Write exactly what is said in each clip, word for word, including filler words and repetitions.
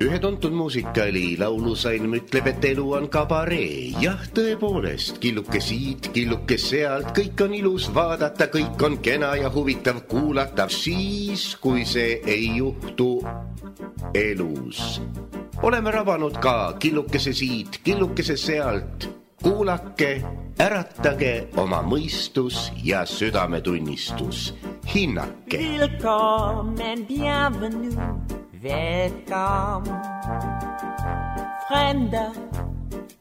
Ühe tuntud muusikali laulusalm ütleb, et elu on kabaree. Jah, tõepoolest, killuke siit, killuke sealt, kõik on ilus vaadata, kõik on kena ja huvitav kuulata, siis, kui see ei juhtu elus. Oleme rabanud ka killukese siit, killukese sealt. Kuulake, äratage oma mõistus ja südametunnistus. Hinnake. Willkommen, bienvenue, welcome. Fremde,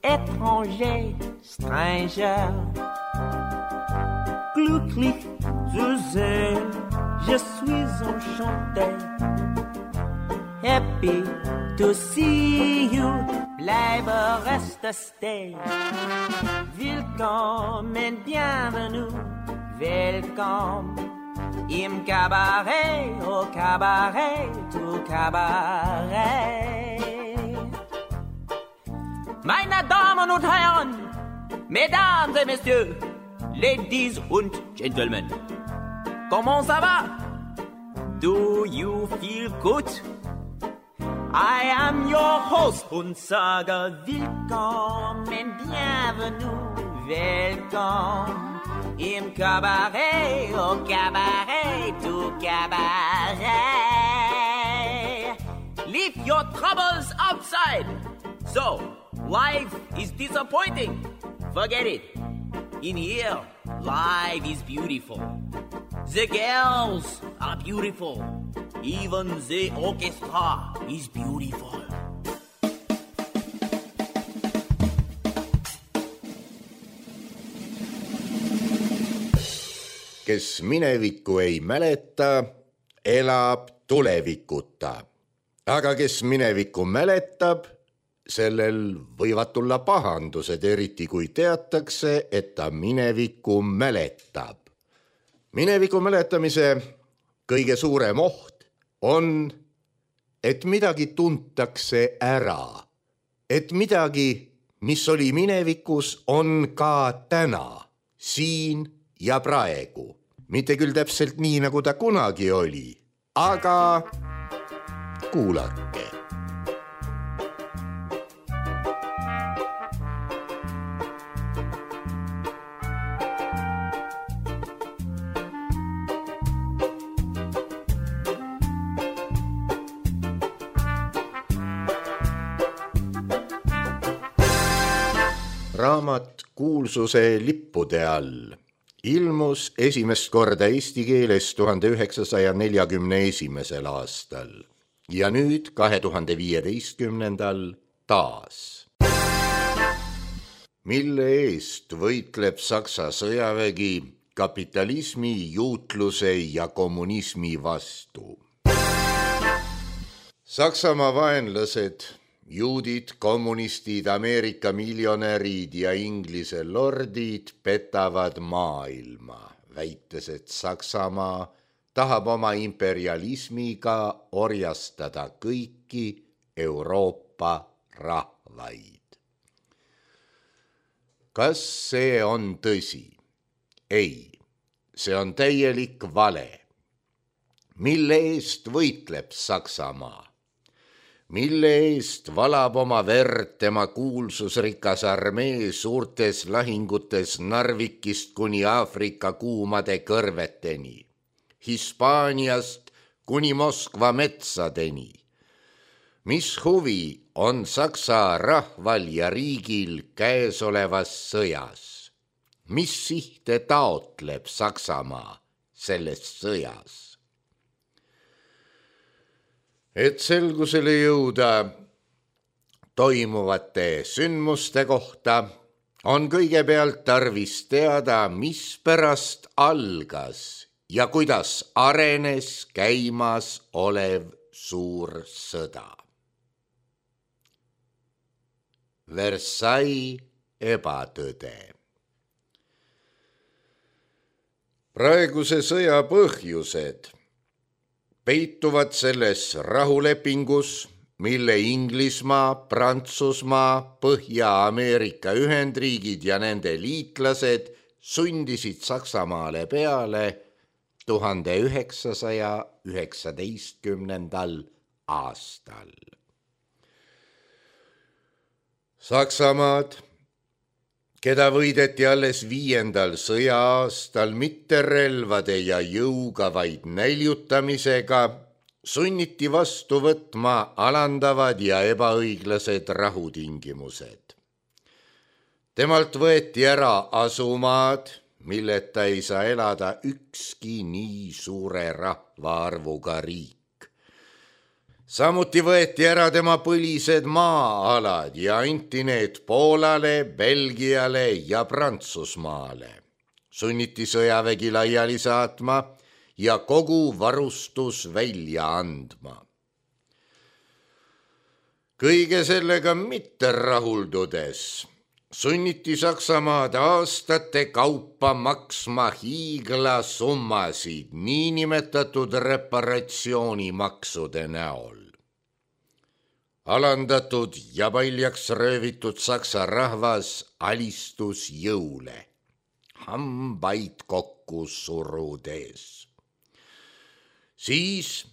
étranger, stranger. Glücklich zu sehen, je suis enchanté. Happy to see you, bleibe reste stay. Willkommen, bienvenue, welcome. Im Cabaret, au Cabaret, au Cabaret. Meine Damen und Herren, Mesdames et Messieurs, Ladies und Gentlemen, comment ça va? Do you feel good? I am your host und sage willkommen, bienvenue, welcome. Im Cabaret, au Cabaret, au Cabaret. Leave your troubles outside. So, life is disappointing. Forget it. In here, life is beautiful. The girls are beautiful. Even the orchestra is beautiful. Kes minevikku ei mäleta, elab tulevikuta. Aga kes minevikku mäletab, sellel võivad tulla pahandused, eriti kui teatakse, et ta minevikku mäletab. Mineviku mäletamise kõige suurem oht on, et midagi tuntakse ära. Et midagi, mis oli minevikus, on ka täna, siin ja praegu. Mitte küll täpselt nii, nagu ta kunagi oli, aga kuulake. Raamat kuulsuse lippude all ilmus esimest korda eesti keeles tuhande üheksasaja neljakümne esimesel aastal ja nüüd kahe tuhande viieteistkümnendal taas. Mille eest võitleb Saksa sõjavägi kapitalismi, juutluse ja kommunismi vastu? Saksamaa vaenlased, juudid, kommunistid, Ameerika miljonärid ja Inglise lordid petavad maailma, väites, et Saksamaa tahab oma imperialismiga orjastada kõiki Euroopa rahvaid. Kas see on tõsi? Ei, see on täielik vale. Mille eest võitleb Saksamaa? Mille eest valab oma verd tema kuulsusrikas armee suurtes lahingutes Narvikist kuni Aafrika kuumade kõrveteni, Hispaaniast kuni Moskva metsadeni? Mis huvi on Saksa rahval ja riigil käesolevas sõjas? Mis sihte taotleb Saksamaa selles sõjas? Et selgusele jõuda toimuvate sündmuste kohta, on kõigepealt tarvis teada, mis pärast algas ja kuidas arenes käimas olev suur sõda. Versailles ebatõde. Praeguse sõja põhjused peituvad selles rahulepingus, mille Inglismaa, Prantsusmaa, Põhja-Ameerika Ühendriigid ja nende liitlased sundisid Saksamaale peale tuhande üheksasaja üheksateistkümnendal aastal. Saksamaad, keda võideti alles viiendal sõja-aastal mitte relvade ja jõuga, vaid näljutamisega, sunniti vastu võtma alandavad ja ebaõiglased rahutingimused. Temalt võeti ära asumaad, milleta ei saa elada ükski nii suure rahvaarvuga riik. Samuti võeti ära tema põlised maa-alad ja anti need Poolale, Belgiale ja Prantsusmaale. Sunniti sõjavägi laiali saatma ja kogu varustus välja andma. Kõige sellega mitte rahuldudes sunniti Saksamaad aastate kaupa maksma hiiglasummasid niinimetatud reparatsioonimaksude näol. Alandatud ja paljaks röövitud saksa rahvas alistus jõule, hambaid kokku surudes. Siis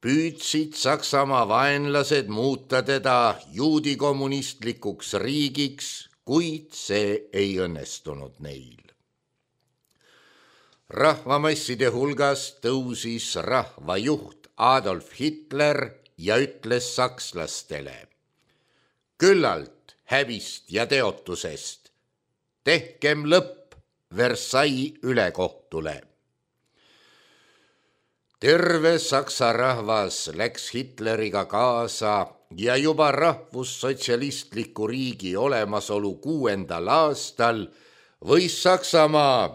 püüdsid Saksamaa vaenlased muuta teda juudi kommunistlikuks riigiks, kuid see ei õnnestunud neil. Rahvamasside hulgas tõusis rahvajuht Adolf Hitler ja ütles sakslastele: küllalt häbist ja teotusest, tehkem lõpp Versailles ülekohtule. Terve saksa rahvas läks Hitleriga kaasa ja juba rahvussotsialistliku riigi olemasolu kuuendal aastal võis Saksamaa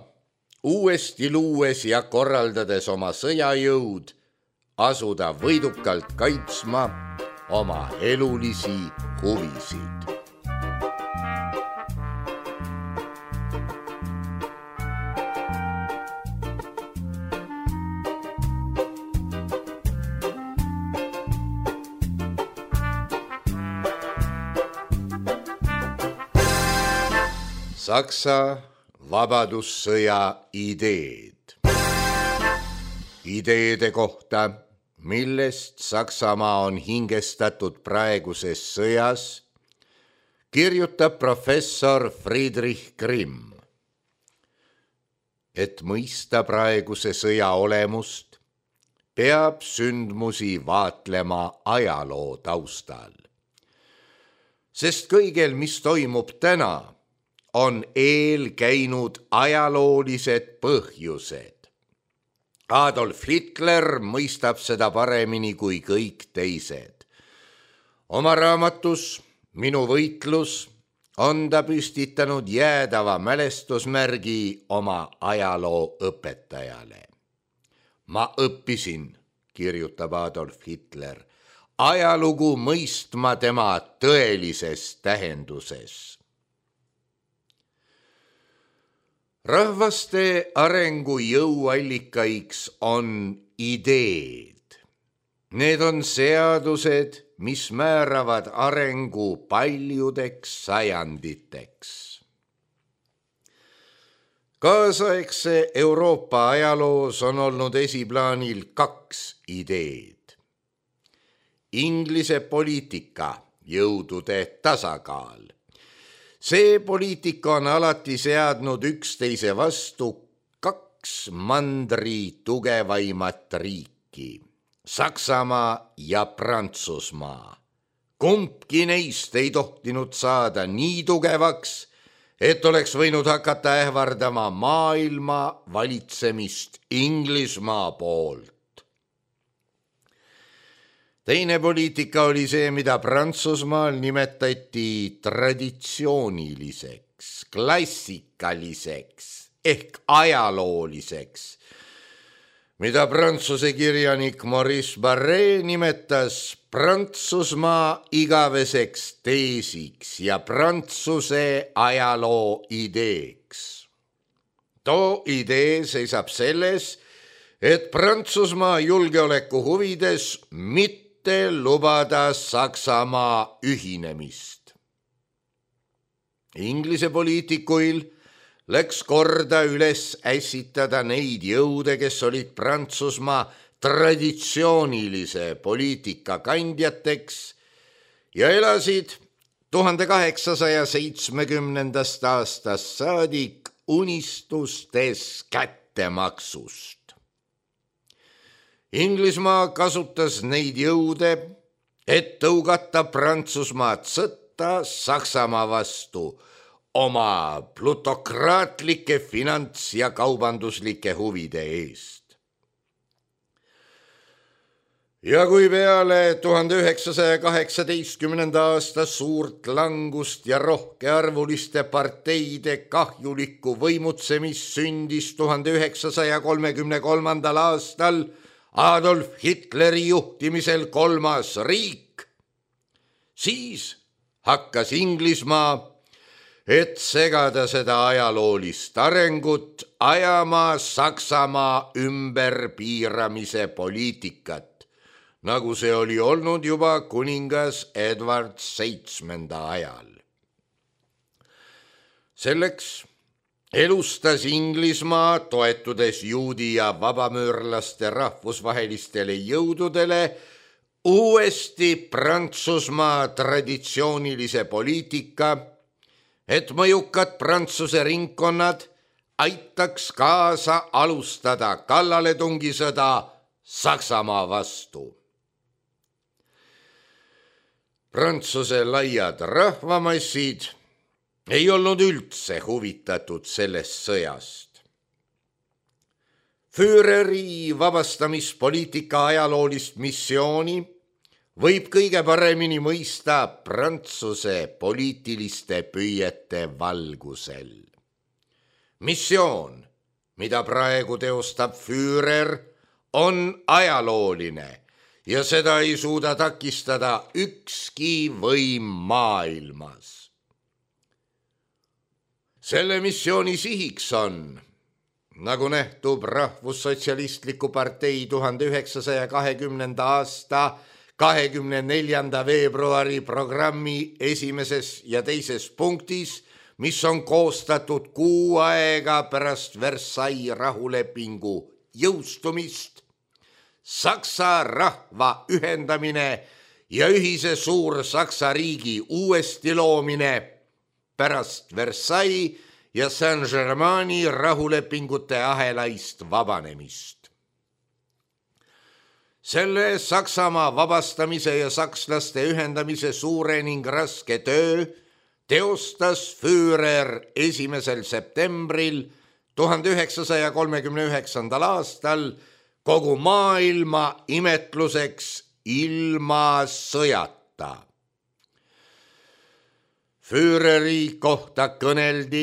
uuesti luues ja korraldades oma sõjajõud asuda võidukalt kaitsma oma elulisi huvisid. Saksa vabadussõja ideed. Ideede kohta, millest Saksamaa on hingestatud praeguses sõjas, kirjutab professor Friedrich Grimm. Et mõista praeguse sõja olemust, peab sündmusi vaatlema ajaloo taustal. Sest kõigel, mis toimub täna, on eel käinud ajaloolised põhjused. Adolf Hitler mõistab seda paremini kui kõik teised. Oma raamatus Minu võitlus on ta püstitanud jäädava mälestusmärgi oma ajaloo õpetajale. Ma õppisin, kirjutab Adolf Hitler, ajalugu mõistma tema tõelises tähenduses. Rahvaste arengu jõuallikaiks on ideed. Need on seadused, mis määravad arengu paljudeks sajanditeks. Kaasaegse Euroopa ajaloos on olnud esiplaanil kaks ideed. Inglise poliitika, jõudude tasakaal. See poliitika on alati seadnud üksteise vastu kaks mandri tugevaimat riiki, Saksamaa ja Prantsusmaa. Kumbki neist ei tohtinud saada nii tugevaks, et oleks võinud hakata ähvardama maailma valitsemist Inglismaa poolt. Teine poliitika oli see, mida Prantsusmaal nimetati traditsiooniliseks, klassikaliseks ehk ajalooliseks, mida prantsuse kirjanik Maurice Barré nimetas Prantsusmaa igaveseks teesiks ja Prantsuse ajaloo ideeks. Too idee seisab selles, et Prantsusmaa julgeoleku huvides mitte lubada Saksamaa ühinemist. Inglise poliitikuil läks korda üles ässitada neid jõude, kes olid Prantsusmaa traditsioonilise poliitika kandjateks ja elasid tuhande kaheksasaja seitsmekümnendast aastast saadik unistustes kättemaksust. Inglismaa kasutas neid jõude, et tõugata Prantsusmaad sõtta Saksamaa vastu oma plutokraatlike finants- ja kaubanduslike huvide eest. Ja kui peale tuhande üheksasaja kaheksateistkümnenda aasta suurt langust ja rohkearvuliste parteide kahjulikku võimutsemist sündis tuhande üheksasaja kolmekümne kolmandal aastal Adolf Hitleri juhtimisel kolmas riik, siis hakkas Inglismaa, et segada seda ajaloolist arengut, ajama Saksamaa ümberpiiramise poliitikat, nagu see oli olnud juba kuningas Edward seitsmenda ajal. Selleks elustas Inglismaa, toetudes juudi ja vabamüürlaste rahvusvahelistele jõududele, uuesti Prantsusmaa traditsioonilise poliitika, et mõjukad Prantsuse ringkonnad aitaks kaasa alustada kallaletungisõda Saksamaa vastu. Prantsuse laiad rahvamassid ei olnud üldse huvitatud sellest sõjast. Führeri vabastamispoliitika ajaloolist missiooni võib kõige paremini mõista Prantsuse poliitiliste püüete valgusel. Missioon, mida praegu teostab Führer, on ajalooline ja seda ei suuda takistada ükski võim maailmas. Selle missiooni sihiks on, nagu nähtub Rahvussotsialistliku partei tuhande üheksasaja kahekümnenda aasta kahekümne neljanda veebruari programmi esimeses ja teises punktis, mis on koostatud kuu aega pärast Versailles rahulepingu jõustumist, Saksa rahva ühendamine ja ühise Suur-Saksa riigi uuesti loomine pärast Versailles ja Saint-Germaini rahulepingute ahelaist vabanemist. Selle Saksamaa vabastamise ja sakslaste ühendamise suure ning raske töö teostas Führer esimesel septembril tuhande üheksasaja kolmekümne üheksandal aastal kogu maailma imetluseks ilma sõjata. Führeri kohta kõneldi,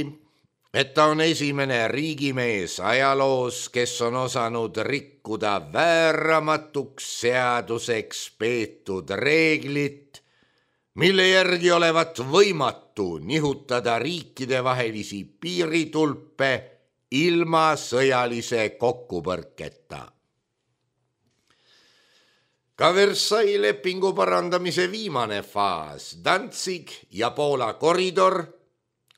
et ta on esimene riigimees ajaloos, kes on osanud rikkuda vääramatuks seaduseks peetud reeglit, mille järgi olevat võimatu nihutada riikidevahelisi piiritulpe ilma sõjalise kokkupõrketa. Ka Versailles lepingu parandamise viimane faas, Danzig ja Poola koridor,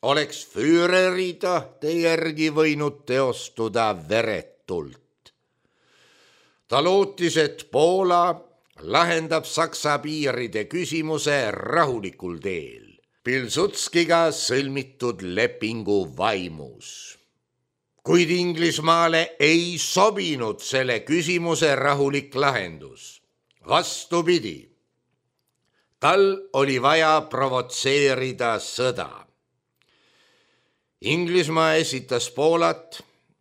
oleks Führeri tahte järgi võinud teostuda veretult. Ta lootis, et Poola lahendab Saksa piiride küsimuse rahulikul teel, Pilsudskiga sõlmitud lepingu vaimus. Kuid Inglismaale ei sobinud selle küsimuse rahulik lahendus. Vastupidi, tal oli vaja provotseerida sõda. Inglismaa esitas Poolat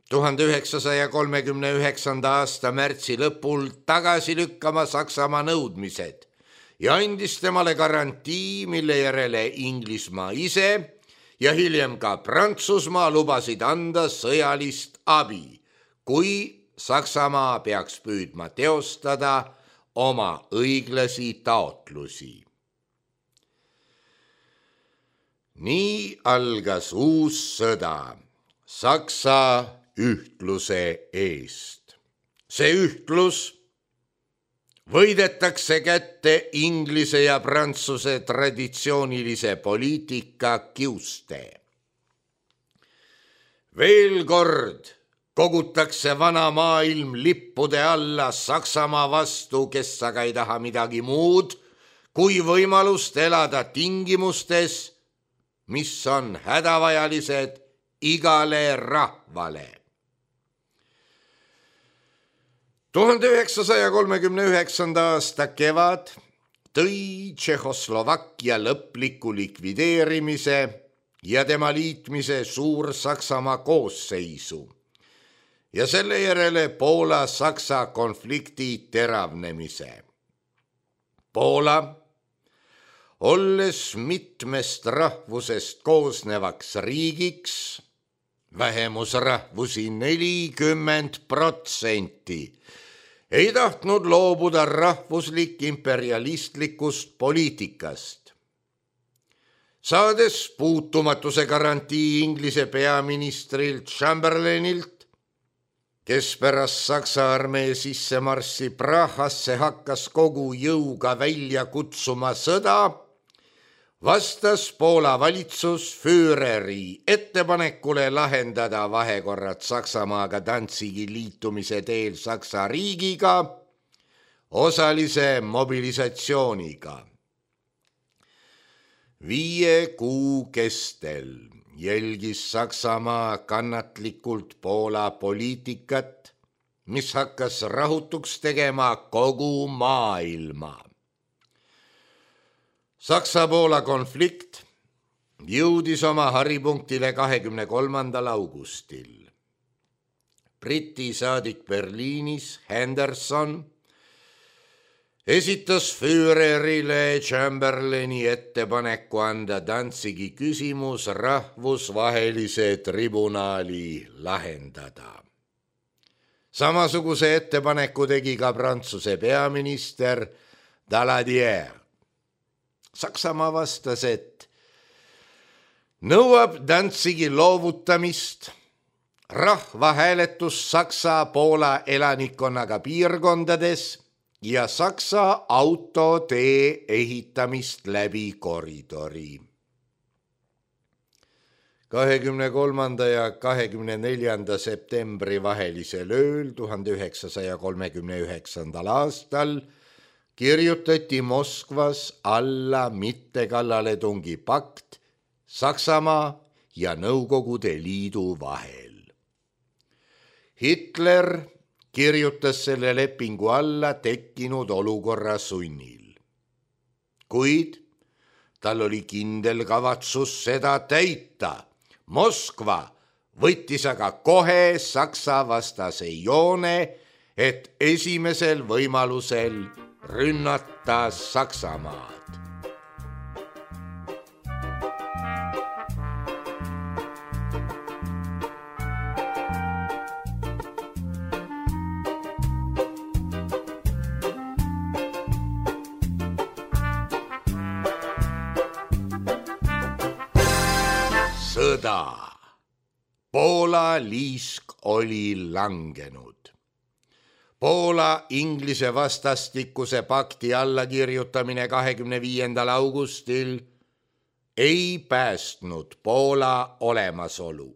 tuhande üheksasaja kolmekümne üheksanda aasta märtsi lõpul tagasi lükkama Saksamaa nõudmised ja andis temale garantii, mille järele Inglismaa ise ja hiljem ka Prantsusmaa lubasid anda sõjalist abi, kui Saksamaa peaks püüdma teostada oma õiglasi taotlusi. Nii algas uus sõda Saksa ühtluse eest. See ühtlus võidetakse kätte Inglise ja Prantsuse traditsioonilise poliitika kiuste. Veel kord kogutakse vana maailm lippude alla Saksamaa vastu, kes aga ei taha midagi muud, kui võimalust elada tingimustes, mis on hädavajalised igale rahvale. tuhande üheksasaja kolmekümne üheksanda aasta kevad tõi Tšehhoslovakkia lõpliku likvideerimise ja tema liitmise Suur-Saksamaa koosseisu ja selle järele Poola-Saksa konflikti teravnemise. Poola, olles mitmest rahvusest koosnevaks riigiks, vähemusrahvusi nelikümmend protsenti, ei tahtnud loobuda rahvuslik imperialistlikust poliitikast. Saades puutumatuse garantii Inglise peaministrilt Chamberlainilt, kes pärast Saksa armee sissemarssi Prahasse hakkas kogu jõuga välja kutsuma sõda, vastas Poola valitsus Führeri ettepanekule lahendada vahekorrad Saksamaaga Danzigi liitumise teel Saksa riigiga osalise mobilisatsiooniga. Viie kuu kestel jälgis Saksamaa kannatlikult Poola poliitikat, mis hakkas rahutuks tegema kogu maailma. Saksa-Poola konflikt jõudis oma haripunktile kahekümne kolmandal augustil. Briti saadik Berliinis Henderson esitas Führerile Chamberlaini ettepaneku anda Danzigi küsimus rahvusvahelise tribunali lahendada. Samasuguse ettepaneku tegi ka Prantsuse peaminister Daladier. Saksamaa vastas, et nõuab Danzigi loovutamist, rahvahääletus Saksa-Poola elanikkonnaga piirkondades ja Saksa autotee ehitamist läbi koridori. kahekümne kolmanda ja kahekümne neljanda septembri vahelisel ööl tuhande üheksasaja kolmekümne üheksandal aastal kirjutati Moskvas alla mittekallaletungi pakt Saksamaa ja Nõukogude Liidu vahel. Hitler kirjutas selle lepingu alla tekkinud olukorra sunnil, kuid tal oli kindel kavatsus seda täita. Moskva võttis aga kohe Saksa vastase joone, et esimesel võimalusel rünnata Saksamaad. Sõda. Poola liisk oli langenud. Poola Inglise vastastikuse pakti allakirjutamine kahekümne viiendal augustil ei päästnud Poola olemasolu.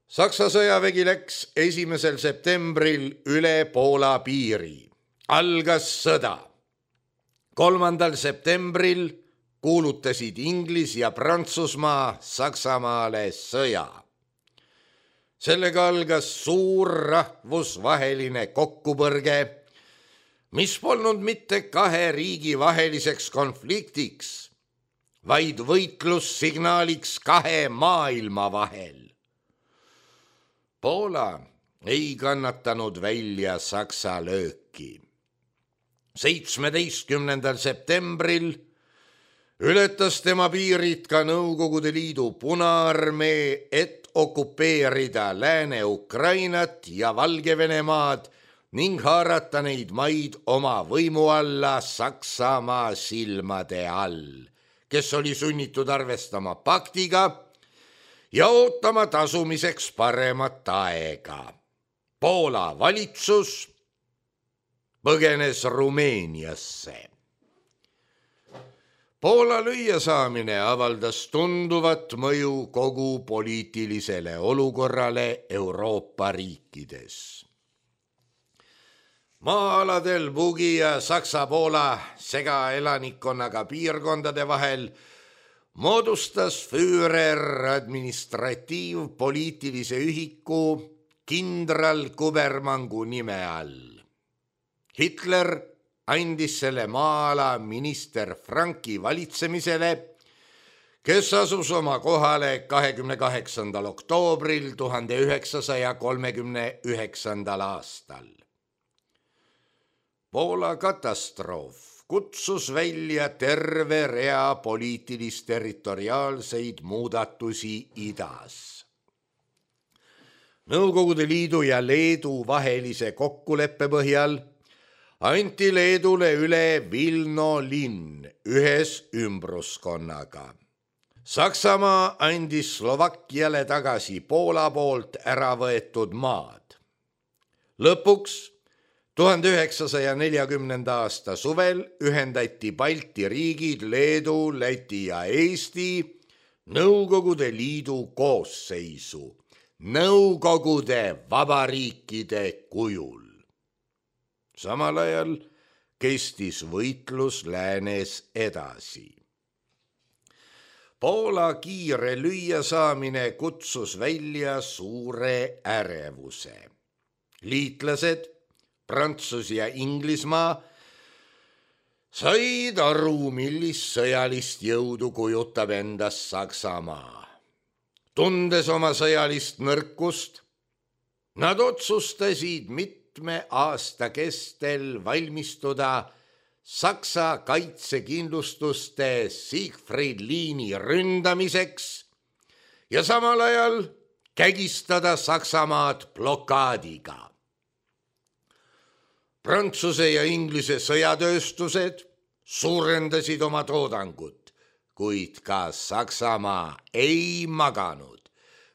Saksa sõjavägi läks esimesel septembril üle Poola piiri. Algas sõda. kolmandal septembril kuulutasid Inglis ja Prantsusmaa Saksamaale sõja. Sellega algas suur rahvusvaheline kokkupõrge, mis polnud mitte kahe riigi vaheliseks konfliktiks, vaid võitlussignaaliks kahe maailma vahel. Poola ei kannatanud välja Saksa lööki. seitsmeteistkümnendal septembril ületas tema piirid ka Nõukogude Liidu Punaarmee, et okupeerida Lääne-Ukrainat ja Valgevenemaad ning haarata neid maid oma võimu alla Saksamaa silmade all, kes oli sunnitud arvestama paktiga ja ootama tasumiseks paremat aega. Poola valitsus põgenes Rumeeniasse. Poola lüüasaamine avaldas tunduvat mõju kogu poliitilisele olukorrale Euroopa riikides. Maa-aladel Bugi ja Saksa-Poola segaelanikkonnaga piirkondade vahel moodustas Führer administratiivpoliitilise ühiku kindral Kubermangu nime all. Hitler andis selle maa-ala minister Franki valitsemisele, kes asus oma kohale kahekümne kaheksandal oktoobril tuhande üheksasaja kolmekümne üheksandal aastal. Poola katastroof kutsus välja terve rea poliitilis-territoriaalseid muudatusi idas. Nõukogude Liidu ja Leedu vahelise kokkuleppe põhjal anti Leedule üle Vilno linn ühes ümbruskonnaga. Saksamaa andis Slovakkiale tagasi Poola poolt ära võetud maad. Lõpuks tuhande üheksasaja neljakümnenda aasta suvel ühendati Balti riigid Leedu, Läti ja Eesti Nõukogude Liidu koosseisu, Nõukogude vabariikide kujul. Samal ajal kestis võitlus läänes edasi. Poola kiire lüüasaamine kutsus välja suure ärevuse. Liitlased, Prantsus ja Inglismaa said aru, millist sõjalist jõudu kujutab endast Saksamaa. Tundes oma sõjalist nõrkust, nad otsustasid mitte mitme aasta kestel valmistuda Saksa kaitsekindlustuste Siegfried liini ründamiseks ja samal ajal kägistada Saksamaad blokaadiga. Prantsuse ja Inglise sõjatööstused suurendasid oma toodangut, kuid ka Saksamaa ei maganud,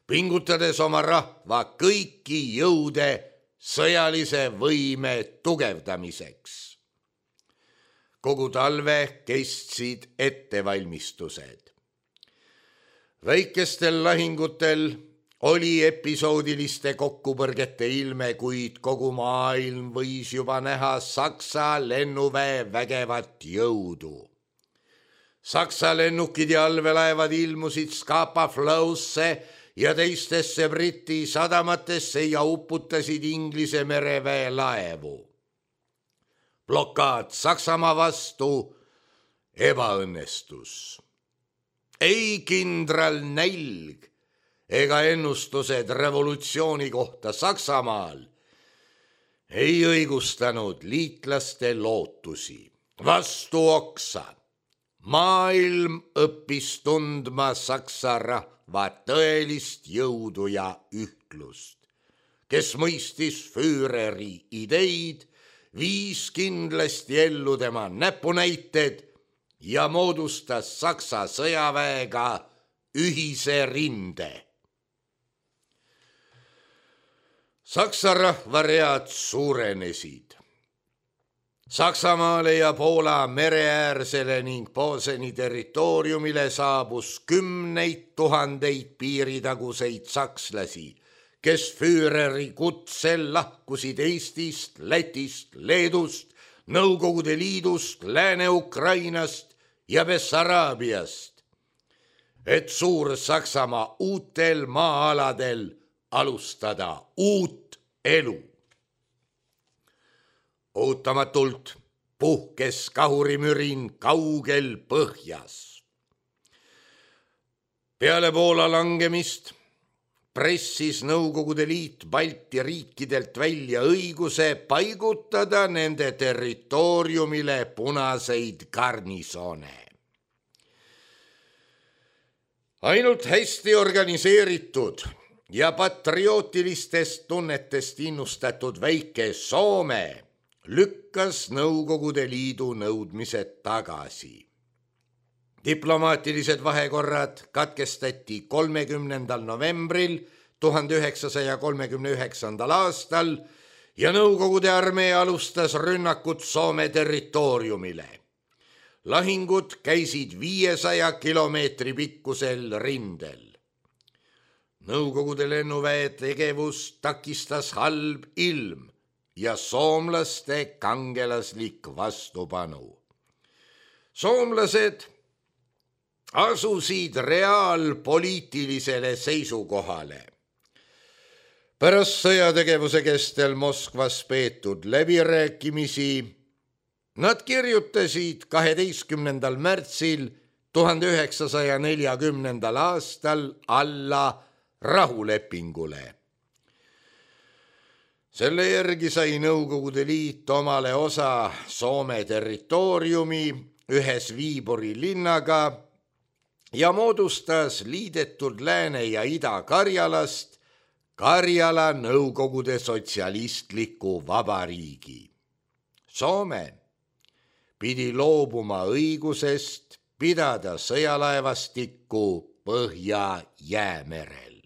pingutades oma rahva kõiki jõude sõjalise võime tugevdamiseks. Kogu talve kestsid ettevalmistused. Väikestel lahingutel oli episoodiliste kokkupõrgete ilme, kuid kogu maailm võis juba näha Saksa lennuväe vägevat jõudu. Saksa lennukid ja allveelaevad ilmusid Scapa Flow'sse ja teistesse Briti sadamatesse ja uputasid Inglise mereväe laevu. Blokaad Saksamaa vastu ebaõnnestus. Ei kindral nälg ega ennustused revolutsiooni kohta Saksamaal ei õigustanud liitlaste lootusi. Vastu oksa maailm õppis tundma Saksa rahva tõelist jõudu ja ühtlust, kes mõistis Führeri ideid, viis kindlasti ellu tema näpunäited ja moodustas Saksa sõjaväega ühise rinde. Saksa rahvaread suurenesid. Saksamaale ja Poola mereäärsele ning Poseni territooriumile saabus kümneid tuhandeid piiritaguseid sakslasi, kes Führeri kutsel lahkusid Eestist, Lätist, Leedust, Nõukogude Liidust, Lääne-Ukrainast ja Bessaraabiast, et Suur-Saksamaa uutel maa-aladel alustada uut elu. Ootamatult puhkes kahurimürin kaugel põhjas. Peale Poola langemist pressis Nõukogude Liit Balti riikidelt välja õiguse paigutada nende territooriumile punaseid garnisoone. Ainult hästi organiseeritud ja patriootilistest tunnetest innustatud väike Soome lükkas Nõukogude Liidu nõudmised tagasi. Diplomaatilised vahekorrad katkestati kolmekümnendal novembril tuhande üheksasaja kolmekümne üheksandal aastal ja Nõukogude armee alustas rünnakut Soome territooriumile. lahingud käisid viiesaja kilomeetri pikkusel rindel. Nõukogude lennuväe tegevust takistas halb ilm ja soomlaste kangelaslik vastupanu. Soomlased asusid reaalpoliitilisele seisukohale. Pärast sõjategevuse kestel Moskvas peetud läbirääkimisi nad kirjutasid kaheteistkümnendal märtsil tuhande üheksasaja neljakümnendal aastal alla rahulepingule. Selle järgi sai Nõukogude Liit omale osa Soome territooriumi ühes Viiburi linnaga ja moodustas liidetud Lääne- ja Ida-Karjalast Karjala Nõukogude Sotsialistliku Vabariigi. Soome pidi loobuma õigusest pidada sõjalaevastikku Põhja-Jäämerel.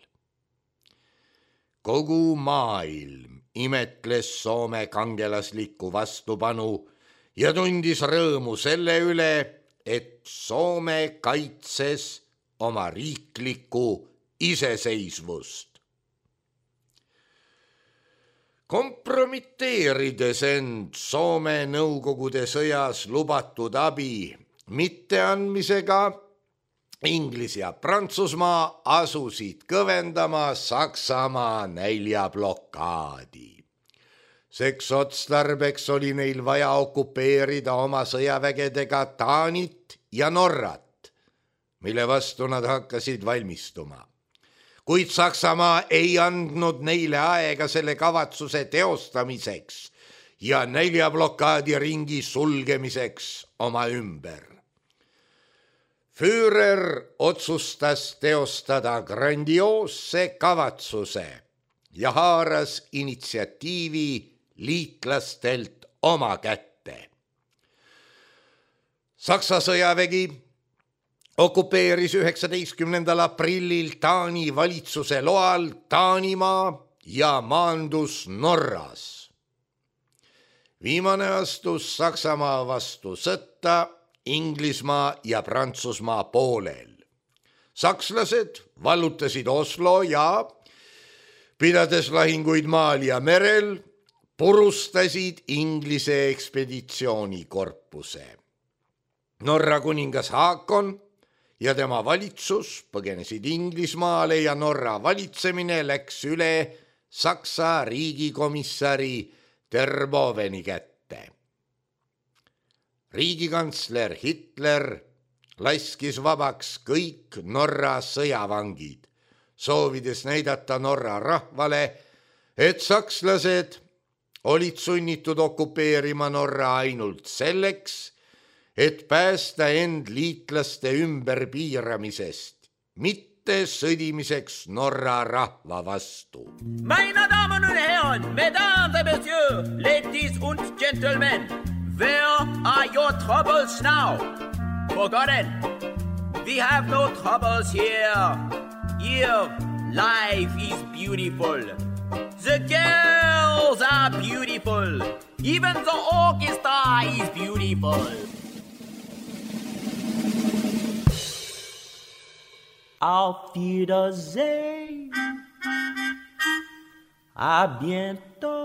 Kogu maailm imetles Soome kangelaslikku vastupanu ja tundis rõõmu selle üle, et Soome kaitses oma riiklikku iseseisvust. Kompromiteerides end Soome Nõukogude sõjas lubatud abi mitteandmisega, Inglis ja Prantsusmaa asusid kõvendama Saksamaa näljablokaadi. Seks otstarbeks oli neil vaja okupeerida oma sõjavägedega Taanit ja Norrat, mille vastu nad hakkasid valmistuma. Kuid Saksamaa ei andnud neile aega selle kavatsuse teostamiseks ja näljablokaadi ringi sulgemiseks oma ümber. Führer otsustas teostada grandioosse kavatsuse ja haaras initsiatiivi liitlastelt oma kätte. Saksa sõjavägi okupeeris üheksateistkümnendal aprillil Taani valitsuse loal Taanimaa ja maandus Norras. Viimane astus Saksamaa vastu sõtta Inglismaa ja Prantsusmaa poolel. Sakslased vallutasid Oslo ja, pidades lahinguid maal ja merel, purustasid Inglise ekspeditsioonikorpuse. Norra kuningas Haakon ja tema valitsus põgenesid Inglismaale ja Norra valitsemine läks üle Saksa riigikomissari Terboven kätte. Riigikantsler Hitler laskis vabaks kõik Norra sõjavangid, soovides näidata Norra rahvale, et sakslased olid sunnitud okupeerima Norra ainult selleks, et päästa end liitlaste ümberpiiramisest, mitte sõdimiseks Norra rahva vastu. Meine Damen und Herren, Mesdames et Messieurs, ladies und gentlemen, where are your troubles now? Forgotten. We have no troubles here. Here, life is beautiful. The girls are beautiful. Even the orchestra is beautiful. Auf Wiedersehen. À bientôt.